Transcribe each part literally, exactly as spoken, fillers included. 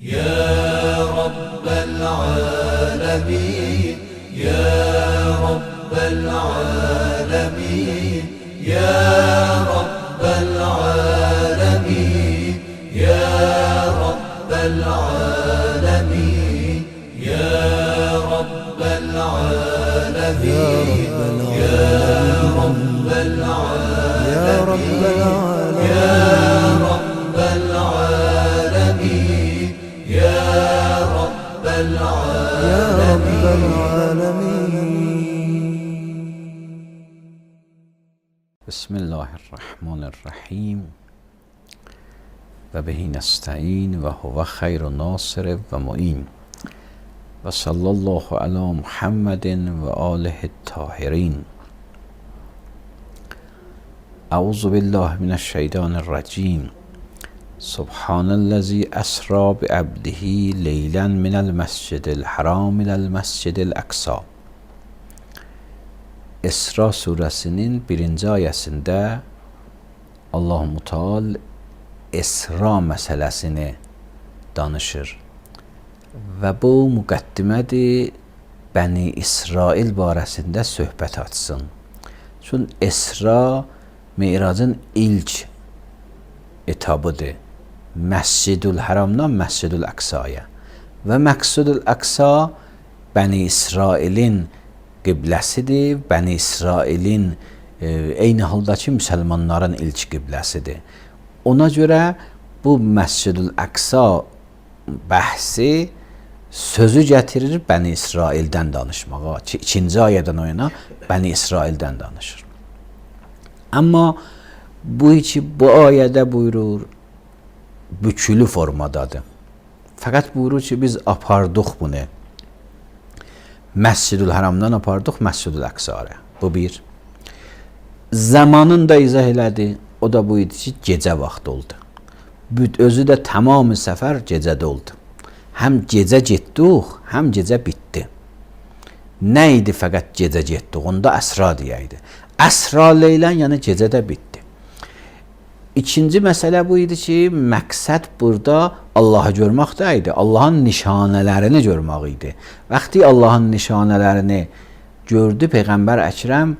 يا رب العالمين يا رب العالمين يا رب العالمين يا رب العالمين يا رب العالمين يا رب العالمين يا رب العالمين يا رب العالمين. بسم الله الرحمن الرحیم و به نستعین و هو خیر ناصر و معین و صلی الله علی محمد و آله الطاهرین. اعوذ بالله من الشیطان الرجیم. سبحان الذی اسری بعبده لیلا من المسجد الحرام الى المسجد الاقصی. İsra suresinin birinci ayəsində Allah-u Teala İsra məsələsini danışır və bu müqəddimədir Bəni İsrail barəsində söhbət açsın. Çünki İsra Miracın ilk etabıdır. Məscidül Haramdan Məscidül Əqsaya və Məscidül Əqsa Bəni İsrailin qibləsidir. Bəni İsrailin e, eyni haldakı müsəlmanların ilk qibləsidir. Ona görə bu Məscidül Əqsa bəhsi sözü gətirir Bəni İsraildən danışmağa. İkinci ayədən o yana Bəni İsraildən danışır. Amma bu iki bu ayədə buyurur, bükülü formadadır. Fəqət buyurur ki, biz apardıq bunu. Məscidül Haramdan apardıq Məscidül Əqsaya. Bu bir. Zamanını da izah elədi. O da bu idi ki, gecə vaxtı oldu. Özü də tamamı səfər gecədə oldu. Həm gecə getdik, həm gecə bitdi. Nə idi fəqət gecə getdik? Onda əsra deyəydi. Əsra leylən, yəni gecədə bitdi. İkinci məsələ bu idi ki, məqsəd burada Allahı görmək də idi. Allahın nişanələrini görmək idi. Vaxtı Allahın nişanələrini gördü, Peyğəmbər Əkrəm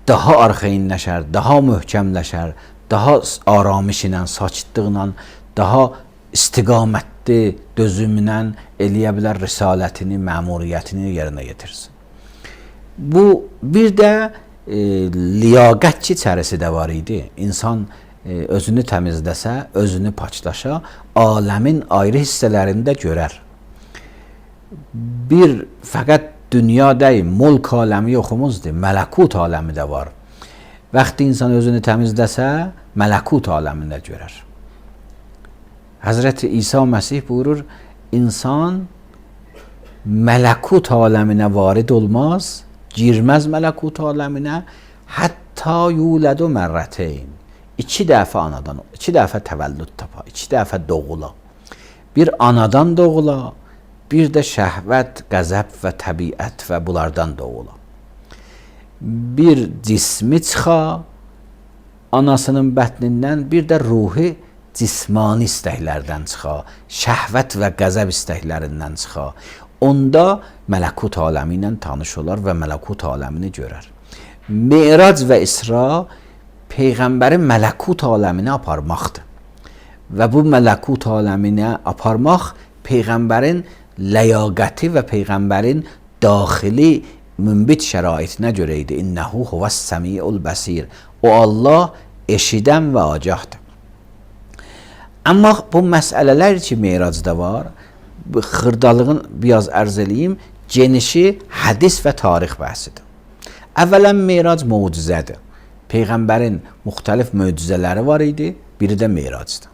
daha arxayınlaşar, daha möhkəmləşər, daha aramış ilə, sakitliklə, daha istiqamətli dözümlə eləyə bilər risalətini, məmuriyyətini yerinə yetirsin. Bu bir də e, liyaqətçi içərisi də var idi. İnsan özünü təmizləsə, özünü paçlaşa, aləmin ayrı hissələrində görər. Bir fəqət dünya deyil, mulk aləmi yoxumuzdur, mələkut aləmi də var. Vaxtı insan özünü təmizləsə, mələkut aləmində görər. Həzrəti İsa Məsih buyurur, insan mələkut aləminə varid olmaz, girməz mələkut aləminə, hətta yulədu mərrəteyn. İki dəfə anadan, iki dəfə təvəllüd tapa, iki dəfə doğula. Bir anadan doğula, bir də şəhvət, qəzəb və təbiət və bunlardan doğula. Bir cismi çıxa, anasının bətnindən, bir də ruhi cismani istəklərdən çıxa, şəhvət və qəzəb istəklərindən çıxa. Onda mələkut aləmi ilə tanış olar və mələkut aləmini görər. Mirac və İsra Peyğəmbərin mələkut aləminə aparmaqdır. Və bu mələkut aləminə aparmaq Peyğəmbərin ləyaqəti və Peyğəmbərin daxili münbit şəraitinə görə idi. İnnəhu huvəs-səmiul bəsir. O Allah eşidən və agahdır. Amma bu məsələlər ki, Miracda var, xırdalığın biraz ərz eləyim, genişi hədis və tarix bəhsidir. Əvvələn Mirac mucizədir. Peyğəmbərin müxtəlif möcüzələri var idi, biri də Miracdır.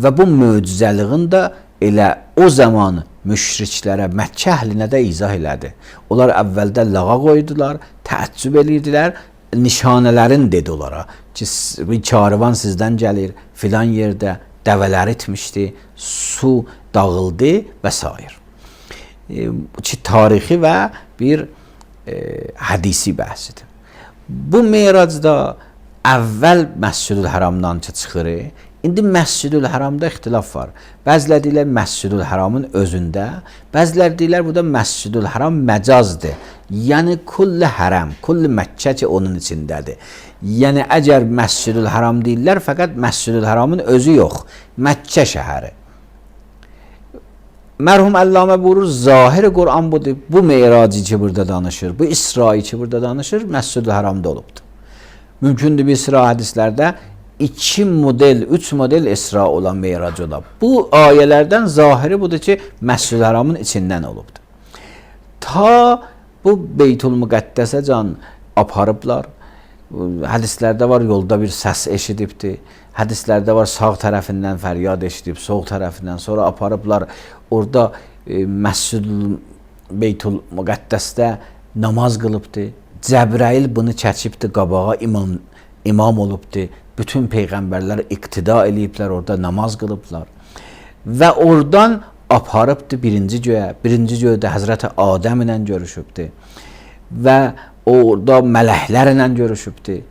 Və bu möcüzəliğin də elə o zaman müşriklərə, Məkkə əhlinə də izah elədi. Onlar əvvəldə lağa qoydular, təəccüb edirdilər, nişanələrin dedi onlara ki, bir karvan sizdən gəlir, filan yerdə dəvələr itmişdi, su dağıldı və s. E, ki, tarixi və bir e, hədisi bəhsidir. Bu Miracda əvvəl Məscidül Haramdan çıxır, İndi Məscidül Haramda ixtilaf var. Bəzilər deyirlər Məscidül Haramın özündə, bəzilər deyirlər bu da Məscidül Haram məcazdır. Yəni kulli haram, kulli Məkkə ki onun içindədir. Yəni əgər Məscidül Haram deyirlər, fəqət Məscidül Haramın özü yox, Məkkə şəhəri. Mərhum Əllamə buyurur, zahir Qur'an budur. Bu Meyraci ki burada danışır, bu İsra'yı ki burada danışır, Məscidül Haramda olubdur. Mümkündür bir sıra hədislərdə iki model, üç model İsra olan Meyrac ola. Bu ayələrdən zahiri budur ki, Məscidül Haramın içindən olubdur. Ta bu Beytul Müqəddəsə can aparıblar. Hədislərdə var, yolda bir səs eşidibdir. Hədislərdə var, sağ tərəfindən fəryad eşidib, sol tərəfindən. Sonra aparıblar, orada e, Məscidül Beytul Müqəddəsdə namaz qılıbdır. Cəbrail bunu çəkibdir, qabağa imam, imam olubdur. Bütün peyğəmbərlər iqtida eləyiblər, orada namaz qılıblar. Və oradan aparıbdır birinci göyə. Birinci göydə Həzrəti Adəm ilə görüşübdür. Və orada mələklərlə görüşübdür.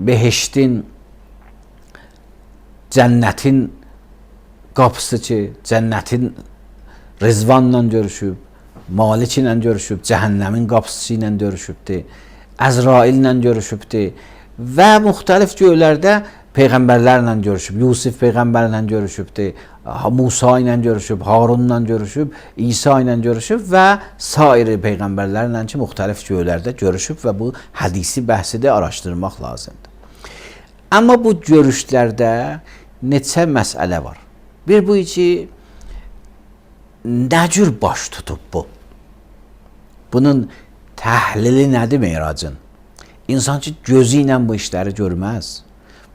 Behiştin, cənnətin qapısı ki, cənnətin Rizvanla görüşüb, Malik ilə görüşüb, cəhənnəmin qapısı ilə görüşübdür, Əzraillə görüşübdür və müxtəlif göylərdə peyğəmbərlərlə görüşüb, Yusuf peyğəmbərlə görüşübdür, Musa ilə görüşüb, Harunla görüşüb, İsa ilə görüşüb və sair peyğəmbərlərlə ki, müxtəlif göylərdə görüşüb və bu hədisi bəhsini araşdırmaq lazımdır. Amma bu görüşlərdə neçə məsələ var. Bir bu ki, nə cür baş tutub bu? Bunun təhlili nədir Meyracın? İnsan ki, gözü ilə bu işləri görməz.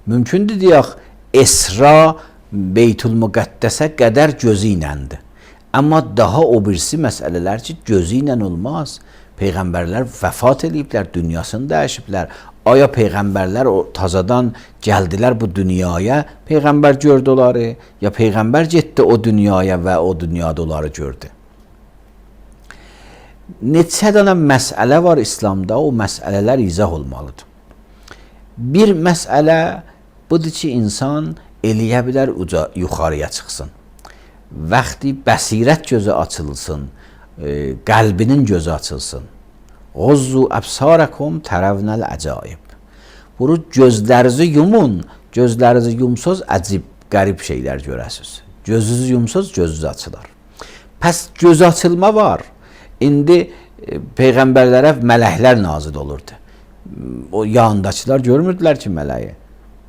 Mümkündür deyək, Esra Beytul Müqəddəsə qədər gözü iləndir. Amma daha o birisi məsələlər ki, gözü ilə olmaz. Peyğəmbərlər vəfat ediblər, dünyasını dəyişiblər. Aya peyğəmbərlər tazadan gəldilər bu dünyaya, peyğəmbər gördü onları, ya peyğəmbər getdi o dünyaya və o dünyada onları gördü. Neçə dənə məsələ var İslamda, o məsələlər izah olmalıdır. Bir məsələ budur ki, insan eləyə bilər uca yuxarıya çıxsın. Vaxtı bəsirət gözü açılsın, e, qəlbinin gözü açılsın. G'uzzu absarakum taravnal acaib. Bunu gözlərinizi yumun, gözlərinizi yumsaz əcib, qərib şeylər görəsiniz. Gözünüzü yumsaz gözünüz açılar. Pəs göz açılma var. İndi e, peyğəmbərlərə mələklər nazil olurdu. O yanındakılar görmürdülər ki mələyi.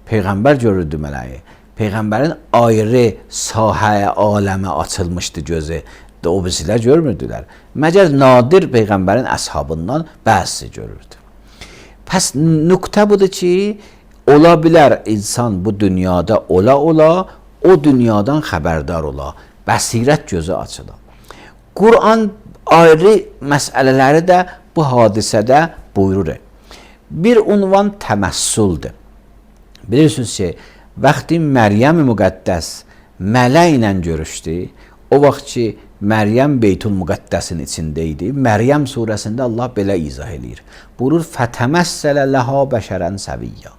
Peyğəmbər görürdü mələyi. Peyğəmbərin ayrı sahəyə, aləmə açılmışdı gözü. O birisilər görmürdülər. Məgər nadir peyğəmbərin əshabından bəzisi görürdü. Pəs nöqtə budur ki, ola bilər insan bu dünyada ola ola, o dünyadan xəbərdar ola, bəsirət gözü açıla. Qur'an ayrı məsələləri də bu hadisədə buyurur. Bir unvan təməssüldür. Bilirsiniz ki, vaxtı Məryəm-i Müqəddəs mələk ilə görüşdü, o vaxt ki, Məryəm Beytul Müqəddəsin içində idi. Məryəm surəsində Allah belə izah eləyir. Buyurur, fətəməssələ ləhə bəşərən səviyyə.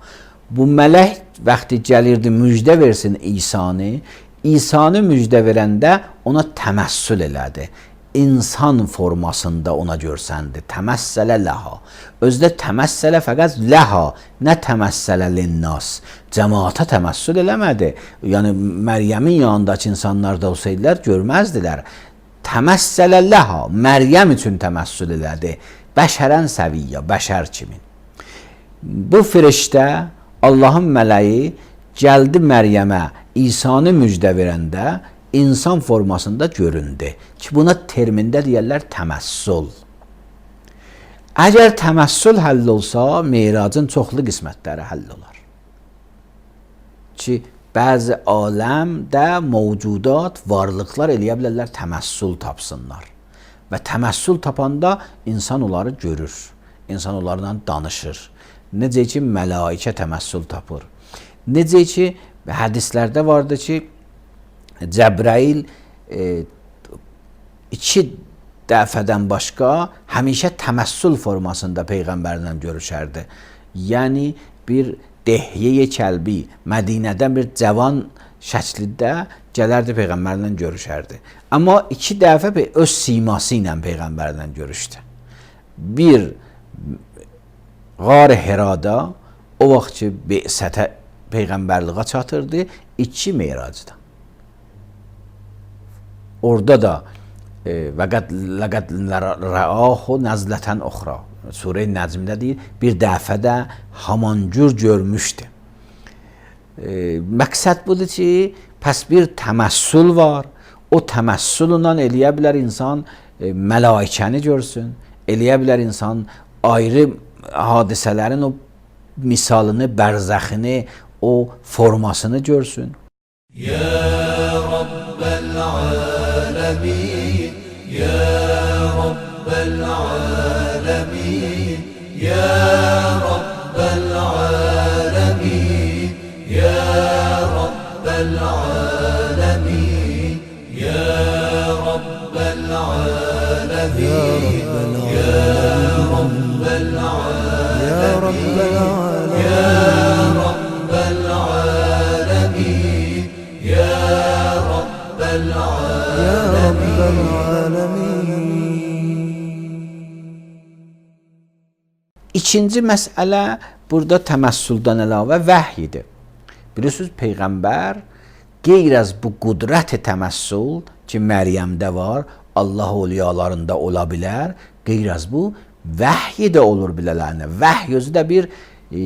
Bu mələk vaxtı gəlirdi, müjdə versin İsanı. İsanı müjdə verəndə ona təməssül elədi. İnsan formasında ona görsəndi. Təməssələ ləhə. Özdə təməssələ fəqət ləhə, nə təməssələ linnas. Cəmaata təməssül eləmədi. Yəni, Məryəmin yanındakı insanlar da olsaydılar, görməzdilər. Təməssələ ləhə, Məryəm üçün təməssül elədi. Bəşərən səviyyə, bəşər kimi. Bu firiştə, Allahın mələyi gəldi Məryəmə, İsanı müjdə verəndə insan formasında göründü. Ki, buna termində deyərlər təməssül. Əgər təməssül həll olsa, Meyracın çoxlu qismətləri həll olar. Ki, bəzi aləmdə mövcudat, varlıqlar eləyə bilərlər təməssül tapsınlar. Və təməssül tapanda insan onları görür, insan onlarla danışır. Necə ki, mələikə təməssül tapır. Necə ki, hədislərdə vardı ki, Cəbrail e, iki dəfədən başqa həmişə təməssül formasında Peyğəmbərlə görüşərdi. Yəni, bir Dehye Kəlbi Mədinədən bir cavan şəklində gələrdi peyğəmbərlə görüşərdi. Amma iki dəfə öz siması ilə peyğəmbərlə görüşdü. Bir Qar Hirada o vaxt ki Be'sətə peyğəmbərliğə çatırdı, iki Meyracda. Orada da və qəd ləqəd rəahu nəzlətən uxra. Surə-i Nəcmdə deyir, bir dəfə də haman cür görmüşdü. E, məqsəd budur ki, pəs bir təməssül var. O təməssülla eləyə bilər insan e, mələikəni görsün, eləyə bilər insan ayrı hadisələrin o misalını, bərzəxini, o formasını görsün. Ya Rabbel alemin, ya Rabbel alemin, ya Rabbel alemin, ya Rabbel alemin, ya Rabbel alemin, ya Rabbel alemin, ya Rabbel alemin, ya Rabbel alemin. İkinci məsələ burada təməssüldən əlavə vəhyidir. Bilirsiniz, Peyğəmbər qeyr az bu qudrət təməssül ki, Məryəmdə var, Allah oliyalarında ola bilər, qeyr az bu vəhy də olur bilələrində. Vəhy özü də bir e,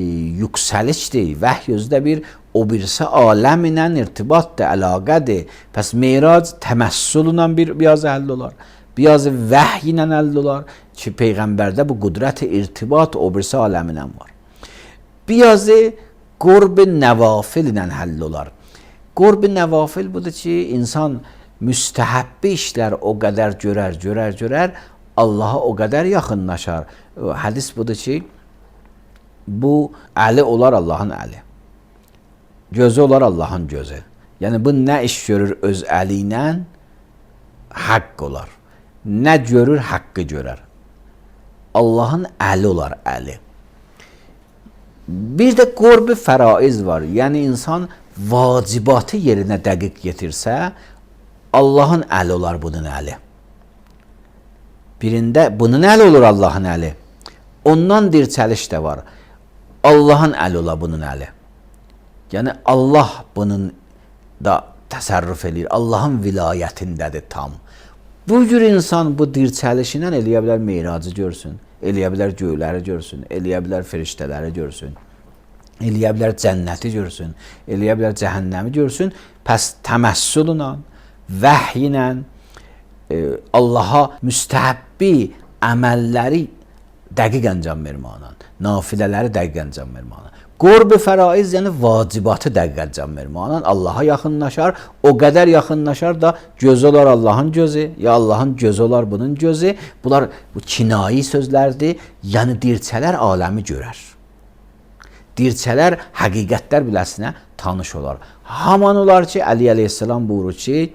yüksəlişdir, vəhy özü də bir o birisi aləm ilə irtibatdır, əlaqədir. Pəs Meyrac təməssüllə bir biraz əldə olar. Biraz vəhy ilə əldə olar ki, Peyğəmbərdə bu qudrət irtibat o birisi aləminə var. Biraz qurb nəvafil ilə həll olar. Qurb nəvafil budur ki, insan müstəhəbbi işlər o qədər görər, görər, görər, Allaha o qədər yaxınlaşar. Hədis budur ki, bu əli olar Allahın əli. Gözü olar Allahın gözü. Yəni bu nə iş görür öz əli ilə? Haqq olar. Nə görür? Haqqı görər. Allahın əli olar, əli. Bir də qurb-i fəraiz var. Yəni insan vacibatı yerinə dəqiq yetirsə, Allahın əli olar bunun əli. Birində bunun əli olur Allahın əli. Ondan dirçəliş də var. Allahın əli olar bunun əli. Yəni Allah bunun da təsərrüf eləyir. Allahın vilayətindədir tam. Bu cür insan bu dirçəlişindən eləyə bilər Meyracı görsün, eləyə bilər göyləri görsün, eləyə bilər firiştələri görsün, eləyə bilər cənnəti görsün, eləyə bilər cəhənnəmi görsün. Pəs təməssüllə, vəhy ilə e, Allaha müstəhəbbi əməlləri dəqiq əncam verməklə, nafilələri dəqiq əncam verməklə. Qurb-i fəraiz yəni vacibatı dəqiq əncam verməklə Allaha yaxınlaşar, o qədər yaxınlaşar da gözü olar Allahın gözü, ya Allahın gözü olar bunun gözü. Bunlar bu kinayi sözlərdir, yəni dirçələr aləmi görər. Dirçələr həqiqətlər biləsinə tanış olar. Haman olar ki, Əli əleyhissalam buyurur ki,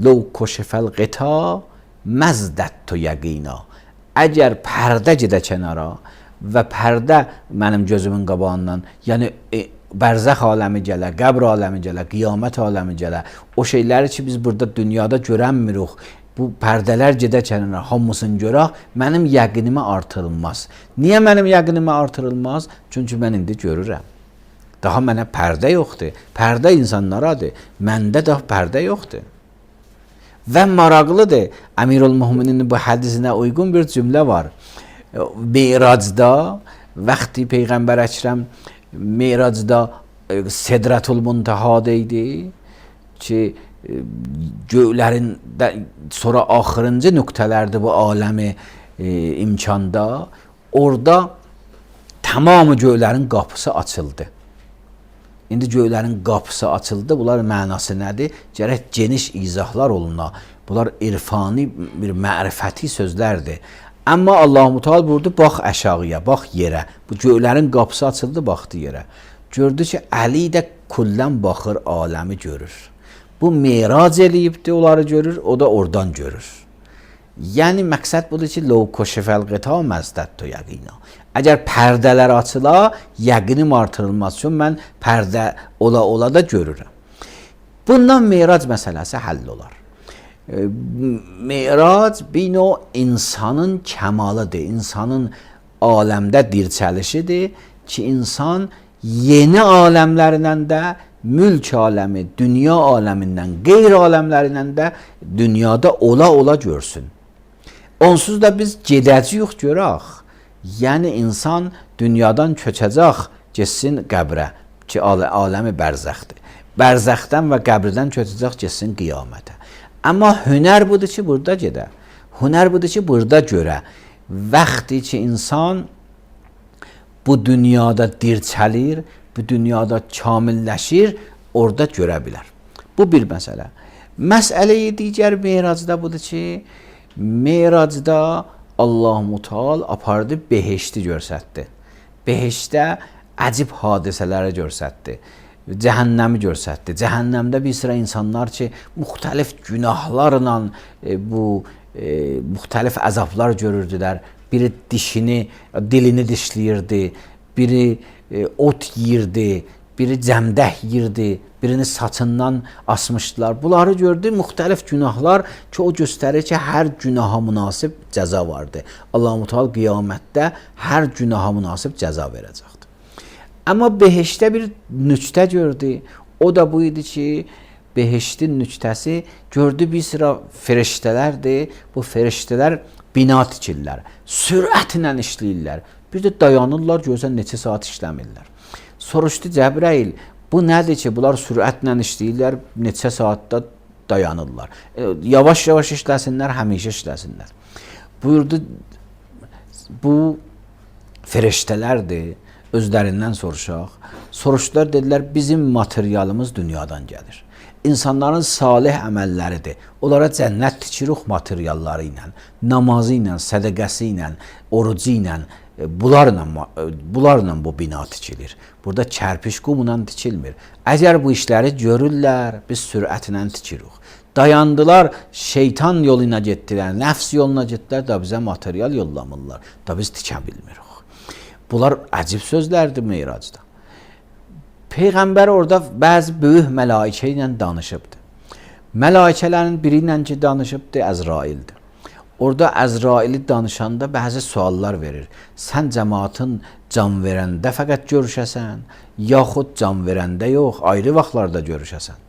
لو کشف الغطا مزددت یقینا. Əgər pərdə gedə kənara və pərdə mənim gözümün qabağından, yəni e, bərzəx aləmi gələ, qəbr aləmi gələ, qiyamət aləmi gələ, o şeyləri ki biz burada dünyada görənmirik, bu pərdələr gedə kənara, hamısını görək, mənim yəqinimə artırılmaz. Niyə mənim yəqinimə artırılmaz? Çünki mən indi görürəm. Daha mənə pərdə yoxdur. Pərdə insanlaradır. Məndə daha pərdə yoxdur. Və maraqlıdır, Əmirül-Möminin bu hədisinə uyğun bir cümlə var. Meyracda, vaxtı Peyğəmbər Əkrəm Meyracda Sedrətül-Müntəhada idi ki, göylərin sonra axırıncı nöqtələrdir bu aləmi e, imkanda. Orada tamamı göylərin qapısı açıldı. İndi göylərin qapısı açıldı. Bunlar mənası nədir? Gərək geniş izahlar oluna. Bunlar irfani bir mərifəti sözlərdir. Amma Allah-u Teala buyurdu, bax aşağıya, bax yerə. Bu göylərin qapısı açıldı, baxdı yerə. Gördü ki, Əli də kullən baxır, aləmi görür. Bu meyrac eləyibdir, onları görür, o da oradan görür. Yəni məqsəd budur ki, "Ləv kəşifəl qita məzdədtu yəqina." Əgər pərdələr açıla, yəqinim artırılmaz. Çünki mən pərdə ola ola da görürəm. Bundan mirac məsələsi həll olar. Mirac bir növ insanın kəmalıdır, insanın aləmdə dirçəlişidir ki, insan yeni aləmlərindən də mülk aləmi, dünya aləmindən, qeyri aləmlərindən də dünyada ola ola görsün. Onsuz da biz gedəcəyik görək. Yəni insan dünyadan köçəcək, getsin qəbrə ki, aləmi bərzəxdir. Bərzəxdən və qəbirdən köçəcək, getsin qiyamətə. Amma hünər budur ki, burada gedə. Hünər budur ki, burada görə. Vaxtı ki, insan bu dünyada dirçəlir, bu dünyada kamilləşir, orada görə bilər. Bu bir məsələ. Məsələyi digər miracda budur ki, miracda Allah-u Teala apardı behişti görsətdi. Behişdə əcib hadisələri görsətdi. Cəhənnəmi görsətdi. Cəhənnəmdə bir sıra insanlar ki, müxtəlif günahlarla e, bu e, müxtəlif əzablar görürdülər. Biri dişini, dilini dişləyirdi, biri e, ot yeyirdi, biri cəmdək yeyirdi, birini saçından asmışdılar. Bunları gördü, müxtəlif günahlar ki, o göstərir ki, hər günaha münasib cəza vardı. Allah-u Teala qiyamətdə hər günaha münasib cəza verəcəkdir. Amma behişdə bir nüktə gördü. O da bu idi ki, behiştin nüktəsi gördü bir sıra feriştələrdir. Bu feriştələr bina tikirlər, sürətlə işləyirlər. Bir də dayanırlar, görsən neçə saat işləmirlər. Soruşdu Cəbrəil, bu nədir ki, bunlar sürətlə işləyirlər, neçə saatda dayanırlar. E, yavaş-yavaş işləsinlər, həmişə işləsinlər. Buyurdu, bu feriştələrdir, özlərindən soruşaq. Soruşdular, dedilər, bizim materialımız dünyadan gəlir. İnsanların salih əməlləridir. Onlara cənnət tikirik materialları ilə, namazı ilə, sədəqəsi ilə, orucu ilə, bunlarla, bunlarla bu bina tikilir. Burada kərpiş qumla tikilmir. Əgər bu işləri görürlər, biz sürətlə tikirik. Dayandılar, şeytan yoluna getdilər, nəfs yoluna getdilər, da bizə material yollamırlar, da biz tikə bilmirik. Bunlar əcib sözlərdir miracda. Peyğəmbər orada bəzi böyük mələikə ilə danışıbdır. Mələikələrin biri ilə ki danışıbdır, Əzraildir. Orada Əzraili danışanda bəzi suallar verir. Sən cəmaatın can verəndə fəqət görüşəsən, yaxud can verəndə yox, ayrı vaxtlarda görüşəsən.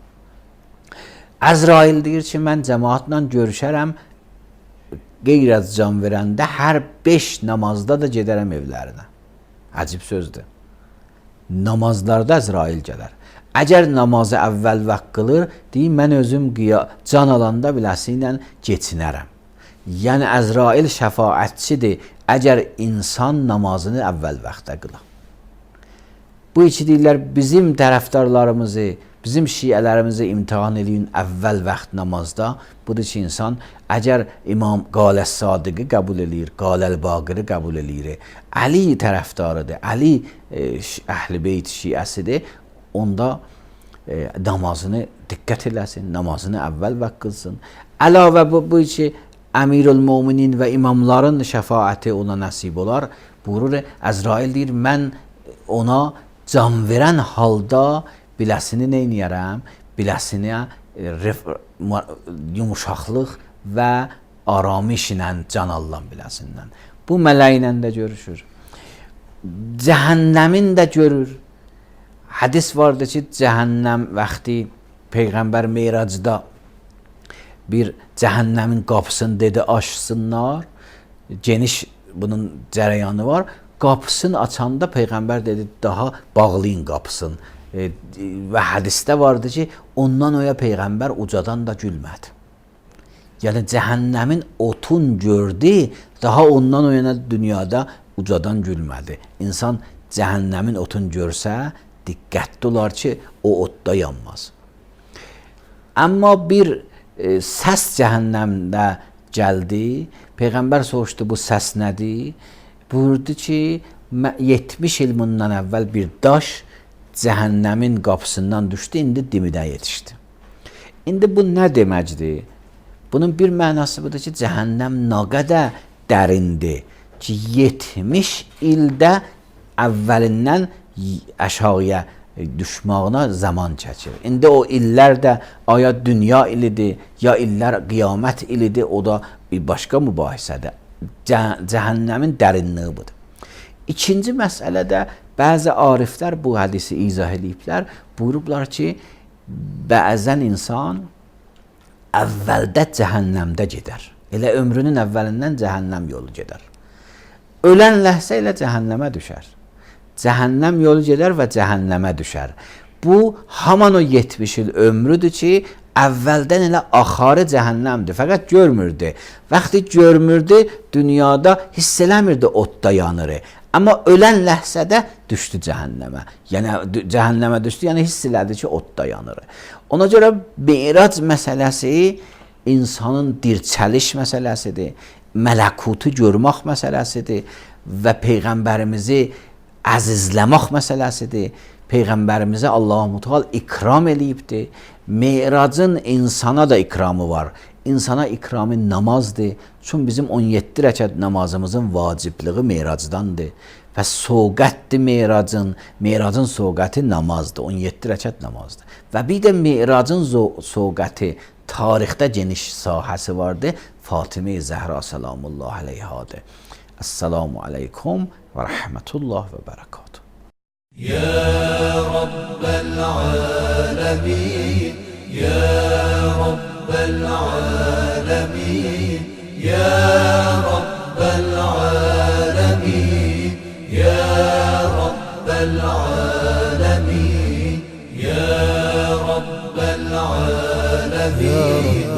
Əzrail deyir ki, mən cəmaatla görüşərəm, qeyrət can verəndə hər beş namazda da gedərəm evlərinə. Əcib sözdür. Namazlarda Əzrail gələr. Əgər namazı əvvəl vaxt qılır, deyir, mən özüm can alanda biləsi ilə geçinərəm. Yəni Əzrail şəfaətçidir, əgər insan namazını əvvəl vaxtda qılar. Bu iki deyirlər, bizim tərəfdarlarımızı, bizim şiələrimizi imtihan edin əvvəl vaxt namazda. Budur ki, insan əgər İmam Qaləs-Sadiqi qəbul edir, Qaləl-Baqiri qəbul edir, Əli tərəfdarıdır, Əli e, Əhl-i Beyt şiəsidir, onda e, namazını diqqət eləsin, namazını əvvəl vaxt qılsın. Əlavə bu, bu ki, Əmirül-Müminin və imamların şəfaəti ona nəsib olar. Buyurur, Əzrail deyir, mən ona can verən halda biləsini neyniyərəm? Biləsini e, yumuşaqlıq və aramış ilə can alınan biləsindən. Bu mələklə də görüşür. Cəhənnəmin də görür. Hədis vardır ki, cəhənnəm vaxtı Peyğəmbər Meyracda bir cəhənnəmin qapısını dedi açsınlar. Geniş bunun cərəyanı var. Qapısını açanda Peyğəmbər dedi, daha bağlayın qapısını. E, və hədisdə vardı ki, ondan oya Peyğəmbər ucadan da gülmədi. Yəni cəhənnəmin otun gördü, daha ondan o yana dünyada ucadan gülmədi. İnsan cəhənnəmin otun görsə, diqqətli olar ki, o otda yanmaz. Amma bir e, səs cəhənnəmdə gəldi. Peyğəmbər soruşdu, bu səs nədir? Buyurdu ki, yetmiş il bundan əvvəl bir daş cəhənnəmin qapısından düşdü, indi dimidə yetişdi. İndi bu nə deməkdir? Bunun bir mənası budur ki, cəhənnəm nə qədər dərindir ki, yetmiş ildə əvvəlindən aşağıya düşmağına zaman çəkir. İndi o illər də aya dünya ilidir, ya illər qiyamət ilidir, o da bir başqa mübahisədir. Cəhənnəmin dərinliyi budur. İkinci məsələdə bəzi ariflər bu hədisi izah ediblər, buyurublar ki, bəzən insan əvvəldə cəhənnəmdə gedər. Elə ömrünün əvvəlindən cəhənnəm yolu gedər. Ölən ləhsə ilə cəhənnəmə düşər. Cəhənnəm yolu gedər və cəhənnəmə düşər. Bu, haman o yetmiş il ömrüdür ki, əvvəldən elə axarı cəhənnəmdir. Fəqət görmürdü. Vaxtı görmürdü, dünyada hiss eləmirdi odda yanırı. Amma ölən ləhsədə düşdü cəhənnəmə. Yəni cəhənnəmə düşdü, yəni hiss elədi ki, odda yanır. Ona görə Mirac məsələsi insanın dirçəliş məsələsidir, mələkutu görmək məsələsidir və Peyğəmbərimizi əzizləmək məsələsidir. Peyğəmbərimizi Allah-u Teala ikram eləyibdir. Miracın insana da ikramı var. İnsana ikramı namazdır. Çünki bizim on yeddi rəkət namazımızın vacibliği Miracdandır. Və soğqətdir Miracın. Miracın soğqəti namazdır. on yeddi rəkət namazdır. Və bir də Miracın soğqəti tarixdə geniş sahəsi vardır. Fatimə Zəhra salamullah aleyhadır. Esselamu aleykum və rəhmətullah və bərəkatuhu. Ya Rabbel alemin, Ya Rabbel alemin, Ya Rabbel alemin, Ya Rabbel alemin, Ya Rabbel alemin.